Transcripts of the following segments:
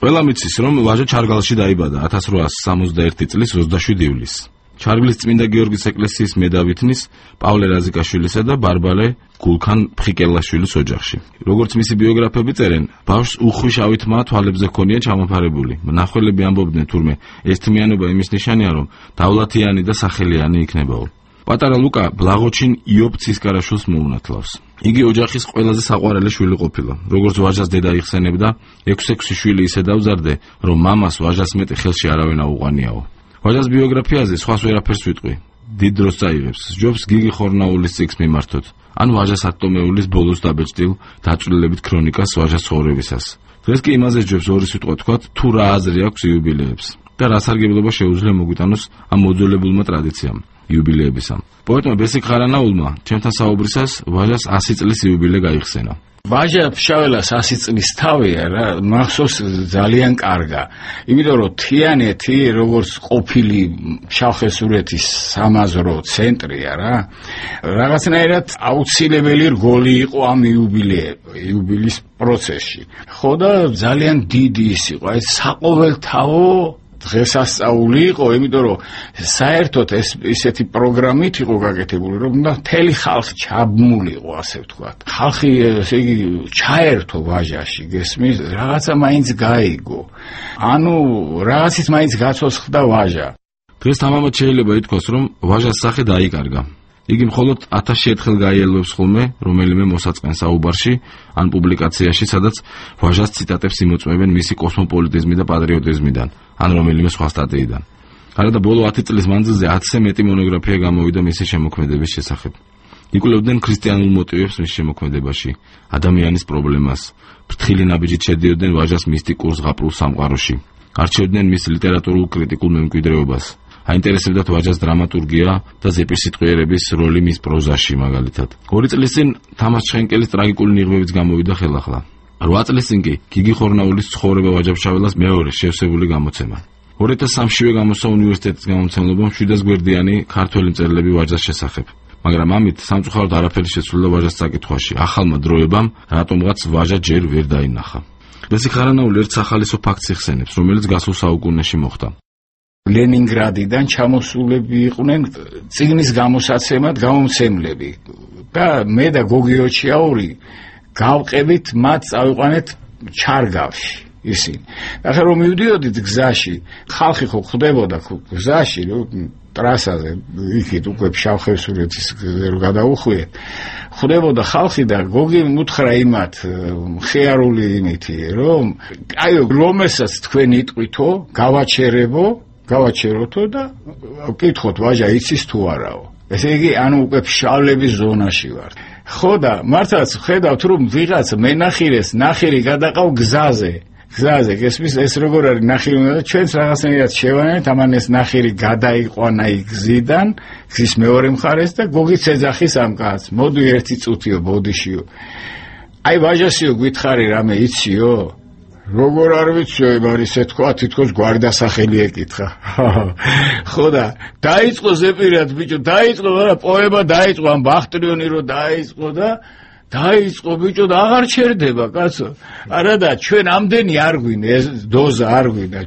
ყველა მიცის, რომ ვაჟა ჩარგალში დაიბადა 1861 წლის 27 ივლისს. ჩარგლის წმინდა გიორგის ეკლესიის მედავითნის პავლე რაზიკაშვილისა და ბარბალე გულქან ფხიკელაშვილის ოჯახში. როგორც მისი ბიოგრაფები წერენ, ბავშვს უხვი თმა თვალებზე ჰქონია ჩამოფარებული. მნახველები ამბობდნენ, თურმე ეს თმიანობა იმის ნიშანია, რომ დავლათიანი და სახელიანი იქნებაო. პატარა ლუკა ბლაღოჩინ იობ ცისკარაშვილს მოუნათლავს. იგი ოჯახის ყველაზე საყვარელი შვილი ყოფილა. როგორც ვაჟას დედა იხსენებდა, 6 შვილი ისე დავზარდე, რომ მამას ვაჟას მეტი ხელში არავინ აუყვანიაო. ვაჟას ბიოგრაფიაზე სხვას ვერაფერს ვიტყვი. დიდ დროს წაიღებს. ჯობს გიგი ხორნაულის წიგნს მიმართოთ. ან ვაჟას ატომეულის ბოლოს დაბეჭდილ დაწვრილებით ქრონიკას ვაჟას ცხოვრებისას. დღეს კი იმაზე ჯობს ორი სიტყვა თქვათ, თუ რა აზრი აქვს იუბილეებს და რა სარგებლობა შეუძლია მოგვიტანოს ამ მოძველებულმა ტრადიციამ. იუბილეებისამ. პოეტმა ბესიკ ხარანაულმა ჩემთან საუბრისას ვაჟას 100 წლის იუბილე გაიხსენა. ვაჟა ფშაველას 100 წლის თავია რა, მახსოვს ძალიან კარგა. იმიტომ რომ თიანეთი როგორც ყოფილი ფშავ-ხევსურეთის სამაზრო ცენტრია რა. რაღაცნაირად აუცილებელი რგოლი იყო ამ იუბილის პროცესში. ხო და ძალიან დიდი ის იყო, აი საყოველთაო დღესასწაული იყო, იმიტომ რომ საერთოდ ესეთი პროგრამით იყო გაკეთებული, რომ მთელი ხალხი ჩაბმულიყო, ასე ვთქვათ. ხალხი ესე იგი ჩაერთო ვაჟაში, გესმის, რაღაცა მაინც გაიგო. ანუ რაღაცით მაინც გაცოცხლდა ვაჟა. დღეს თამამად შეიძლება ითქვას, რომ ვაჟას სახე დაიკარგა. იგი მხოლოდ 1000 ერთხელ გაიელვებს ხოლმე რომელიმე მოსაწყენ საუბარში ან პუბლიკაციაში, სადაც ვაჟას ციტატებს იმოწმებენ მისი კოსმოპოლიტიზმი და პატრიოტიზმიდან, ან რომელიმე სხვა სტატიიდან. გარდა ბოლო 10 წლის მანძილზე 1000-ზე მეტი მონოგრაფია გამოვიდა მისი შემოქმედების შესახებ. იკვლევდნენ ქრისტიანულ მოტივებს მის შემოქმედებაში, ადამიანის პრობლემას, ფრთხილი ნაბიჯით შედიოდნენ ვაჟას მისტიკურ ზღაპრულ სამყაროში, არჩევდნენ მის ლიტერატურულ კრიტიკულ მემკვიდრეობას. აინტერესებდათ ვაჟას დრამატურგია და ზეპირსიტყვიერების როლი მის პროზაში მაგალითად. 2 წლის წინ თამარ ჩხენკელის ტრაგიკული ნიღბებიც გამოვიდა ხელახლა. 8 წლის წინ კი გიგი ხორნაულის ცხოვრება ვაჟა-ფშაველას მეორე შევსებული გამოცემა. 2003-ში გამოსცა უნივერსიტეტის გამომცემლობამ 700 გვერდიანი ქართველი მწერლები ვაჟას შესახებ. მაგრამ ამით სამწუხაროდ არაფერი შეცვლილა ვაჟას საკითხში. ახალმა დროებამ რატომღაც ვაჟა ჯერ ვერ დაინახა. ბესიკ ხარანაული ერთ სახალისო ფაქტს იხსენებს, რომელიც გასულ საუკუნეში მოხდა. ლენინგრადიდან ჩამოსულები იყვნენ წიგნის გამოსაცემად გამომცემლები და მე და გოგი ოჩიაური გავყებით მათ წავიყვანეთ ჩარგავში ისინი. ახლა რომ მივდიოდით გზაში, ხალხი ხო ხვდებოდა გზაში, ტრასაზე, იქით უკვე ფშავ-ხევსურეთის რო გადაუხვიეთ, ხვდებოდა ხალხი და გოგი უთხრა იმათ ხეარული იმითი, რომ აიო, რომელსაც თქვენ იტყვითო, გავაჩეროთო და ვკითხოთ ვაჟა იცის თუ არაო. ესე იგი, ანუ უკვე ფშავლების ზონაში ვარ. ხო და მართლაც ხედავთ რომ ვიღაც მენახირეს ნახირი გადაყავ გზაზე, გესმის, ეს როგორ არის ნახირი უნდა და ჩვენც რაღაცნაირად შევანეთ, ამან ეს ნახირი გადაიყვანა გზიდან, გზის მეორე მხარეს და გოგიც ეძახის ამ კაცს, მოდი ერთი წუთიო ბოდიშიო. აი ვაჟასიო გითხარი რამე იციო? როგორ არ ვიციო, არის ეთქვა, თითქოს გვარდასახელი ეკითხა. ხო და დაიწყო ზეპირად ბიჭო, დაიწყო, არა პოემა დაიწყო, ამ ბახტრიონი რო დაიწყო და დაიწყო ბიჭო და აღარ ჩერდება კაცო. არა და ჩვენ ამდენი არ გვინდა, ეს დოზა არ გვინდა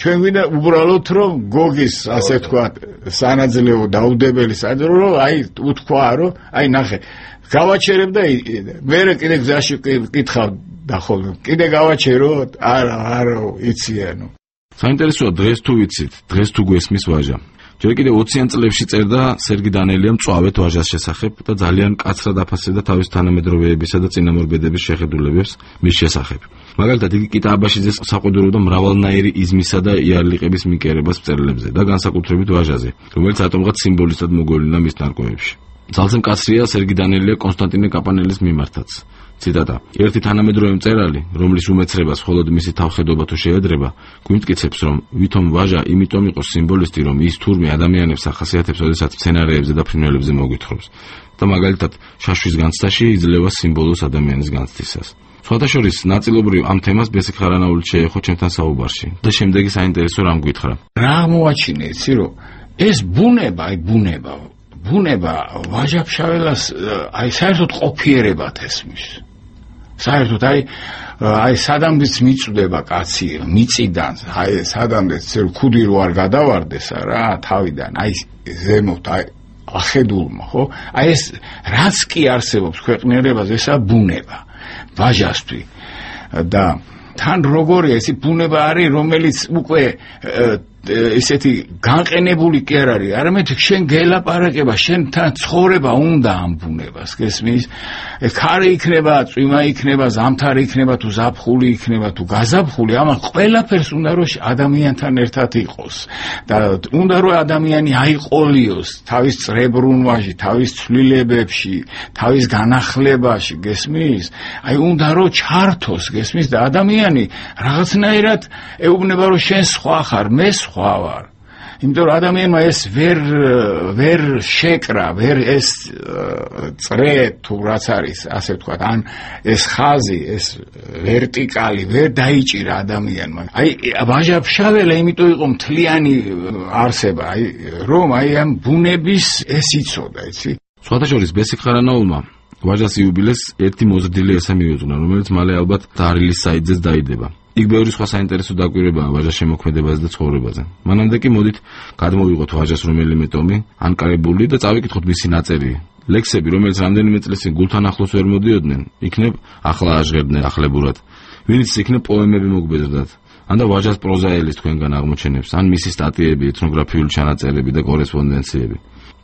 ჩვენ გვინდა უბრალოდ რომ გოგის, ასე თქვა, სანაძლეო დაუდებელი საძრო, რომ აი უთქვა, რომ აი ნახე, გავაჩერებ და მე კიდე გზაში კითხავ და ხოლმე კიდე გავაჩეროთ? არა, იციანო. საინტერესოა დღეს თუ ვიცით, დღეს თუ გვესმის ვაჟა. ჯერ კიდე 20-იან წლებში წერდა სერგი დანელიამ მწვავედ ვაჟას შესახებ და ძალიან კაცრად აფასებდა თავის თანამედროვეებისა და წინამორბედების შეხედულებებს მის შესახებ. მაგალითად, იგი კიტაბაშიძეს საყვედურობდა მრავალნაირი იზმისა და იარლიყების მიკერებას მწერლებზე და განსაკუთრებით ვაჟაზე, რომელიც ატომღაც სიმბოლისტად მოგვევლინა მის ნარკვევებში. ძალზე მკაცრია სერგი დანელია კონსტანტინე კაპანელის მიმართაც. ციტატა: ერთი თანამედროვე მწერალი, რომლის უმეცრებას მხოლოდ მისი თავხედობა თუ შეედრება, გვიმტკიცებს, რომ ვითომ ვაჟა იმიტომ იყო სიმბოლისტი, რომ ის თურმე ადამიანებს ახასიათებს, როდესაც მცენარეებზე და ფრინველებზე მოგვითხრობს და მაგალითად შაშვის განცდაში იძლევა სიმბოლოს ადამიანის განცდისას. სხვათა შორის ნაწილობრივ ამ თემას ბესიკ ხარანაული შეეხო ჩემთან საუბარში და შემდეგი საინტერესო რამ გითხრა. რა მოაჩინე, იცი რომ ეს ბუნება ვაჟა-ფშაველას აი საერთოდ ყოფიერებად ესმის. საერთოდ აი აი სადამდეც მიწვდება კაცი მიწიდან, აი სადამდეც ქუდი რო არ გადავარდეს რა თავიდან, აი ზემოთ აი ახედულმა, ხო? აი ეს რაც კი არსებობს ქვეყნიერებას, ესა ბუნება, ვაჟასთვის და თან როგორია ეს ბუნება არის, რომელიც უკვე ესეთი განყენებული კი არ არის, არამედ შენ გელაპარაკება, შენთან ცხოვრება უნდა ამ ბუნებას, გესმის? ქარი იქნება, წვიმა იქნება, ზამთარი იქნება, თუ ზაფხული იქნება, თუ გაზაფხული, ამან ყველაფერს უნდა რომ ადამიანთან ერთად იყოს და უნდა რომ ადამიანი აიყოლიოს თავის წრებრუნვაში, თავის ცვლილებებში, თავის განახლებაში, გესმის? აი უნდა რომ ჩართოს, გესმის? და ადამიანი რაღაცნაირად ეუბნება რომ შენ სხვა ხარ, მე სხვა ვარ. იმიტომ რომ ადამიანმა ეს ვერ შეკრა, ვერ ეს წრე თუ რაც არის, ასე ვთქვათ, ან ეს ხაზი, ეს ვერტიკალი ვერ დაიჭირა ადამიანმა. აი ვაჟა-ფშაველა იმიტომ იყო მთლიანი არსება, აი რომ აი ამ ბუნების ეს იცოდა, იცი? სხვათა შორის ბესიკ ხარანაულმა ვაჟას იუბილეს ერთი მოზრდილი ესე მიუძღვნა, რომელიც მალე ალბათ დარილის საიძეც დაიდება. იქ ბევრი სხვა საინტერესო დაკვირვებაა ვაჟას შემოქმედებაზე და ცხოვრებაზე. მანამდე კი მოდით გადმოვიღოთ ვაჟას რომელიმე ტომი, ანკარებული და წავიკითხოთ მისი ნაწერი. ლექსები, რომელიც რამდენიმე წლის წინ გულთან ახლოს ვერ მოდიოდნენ, იქნებ ახლა აჟღერდნენ ახლებურად. ვინც იქნებ პოემები მოგბეზრდათ. ან და ვაჟას პროზაელის თქვენგან აღმოჩენებს, ან მისი სტატიები, ეთნოგრაფიული ჩანაწერები და კორესპონდენციები.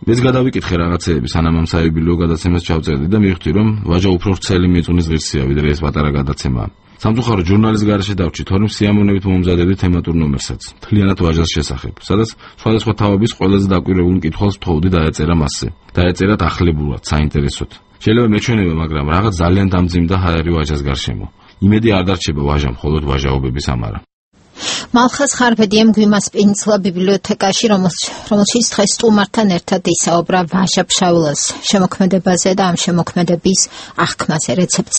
მეც გადავიკითხე რაღაცეები, სანამ ამ საიუბილეო გადაცემას ჩავწერდი და მივხვდი, რომ ვაჟა უფრო ვრცელი მიწუნის ღირსია, ვიდრე ეს პატარა გადაცემაა. სამწუხაროდ ჟურნალის გარეშე დავჭით, თორემ სიამოვნებით მომზადებდი თემატურ ნომერსაც, მთლიანად ვაჟას შესახებ, სადაც სხვადასხვა თავების ყველაზე დაკვირვებულ მკითხველს ვთხოვდი და დაეწერა მასზე. დაეწერათ ახლებურად, საინტერესოდ. შეიძლება მეჩვენება, მაგრამ რაღაც ძალიან დამძიმდა ჰაერი ვაჟას გარშემო. იმედი არ დარჩება ვაჟამ, მხოლოდ ვაჟაობების ამარა. მალხაზ ხარბედიამ გვიმას პინცლა ბიბლიოთეკაში, რომელშიც დღეს სტუმართან ერთად ისაუბრა ვაჟა-ფშაველას შემოქმედებაზე და ამ შემოქმედების აღქმაზე რეცეპტს